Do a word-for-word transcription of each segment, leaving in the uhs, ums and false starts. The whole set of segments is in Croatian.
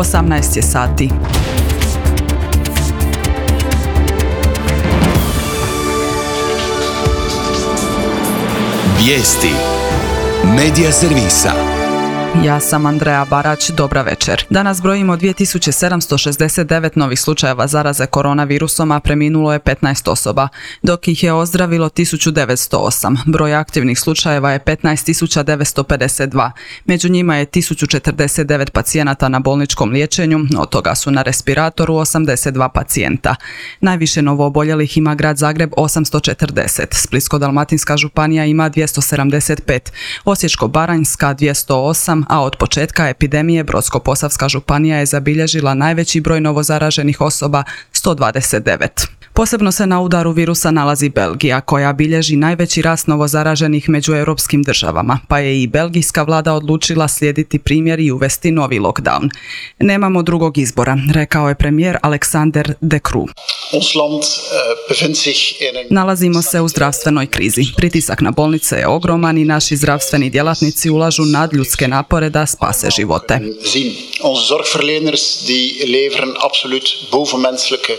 osamnaest je sati. Vijesti Medija servisa. Ja sam Andreja Barać, dobra večer. Danas brojimo dvije tisuće sedamsto šezdeset devet novih slučajeva zaraze koronavirusom, a preminulo je petnaest osoba, dok ih je ozdravilo tisuću devetsto osam. Broj aktivnih slučajeva je petnaest tisuća devetsto pedeset dva. Među njima je tisuću četrdeset devet pacijenata na bolničkom liječenju, od toga su na respiratoru osamdeset dva pacijenta. Najviše novooboljelih ima grad Zagreb osamsto četrdeset, Splitsko-dalmatinska županija ima dvjesto sedamdeset pet, Osječko-baranjska dvjesto osam, a od početka epidemije Brodsko-posavska županija je zabilježila najveći broj novozaraženih osoba, sto dvadeset devet. Posebno se na udaru virusa nalazi Belgija, koja bilježi najveći rast novozaraženih među europskim državama, pa je i belgijska vlada odlučila slijediti primjer i uvesti novi lockdown. Nemamo drugog izbora, rekao je premijer Alexander De Croo. Nalazimo se u zdravstvenoj krizi. Pritisak na bolnice je ogroman i naši zdravstveni djelatnici ulažu nadljudske napore da spase živote. Onze zorgverleners die leveren absoluut bovenmenselijke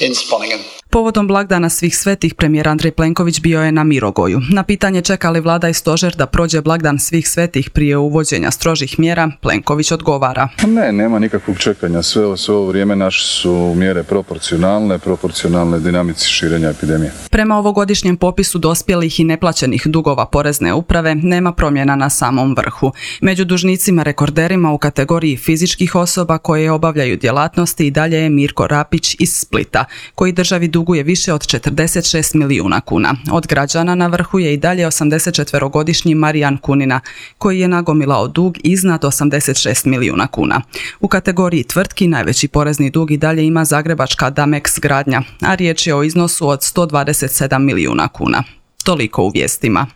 inspanningen. Povodom blagdana Svih svetih, premijer Andrej Plenković bio je na Mirogoju. Na pitanje čeka li vlada i stožer da prođe blagdan Svih svetih prije uvođenja strožih mjera, Plenković odgovara. Ne, nema nikakvog čekanja. Sve, sve ovo vrijeme naše su mjere proporcionalne, proporcionalne dinamici širenja epidemije. Prema ovogodišnjem popisu dospjelih i neplaćenih dugova porezne uprave nema promjena na samom vrhu. Među dužnicima rekorderima u kategoriji fizičkih osoba koje obavljaju djelatnosti i dalje je Mirko Rapić iz Splita, koji državi duguje više od četrdeset šest milijuna kuna. Od građana na vrhu je i dalje osamdesetčetverogodišnji Marijan Kunina, koji je nagomilao dug iznad osamdeset šest milijuna kuna. U kategoriji tvrtki najveći porezni dug i dalje ima zagrebačka Damex Gradnja, a riječ je o iznosu od sto dvadeset sedam milijuna kuna. Toliko u vijestima.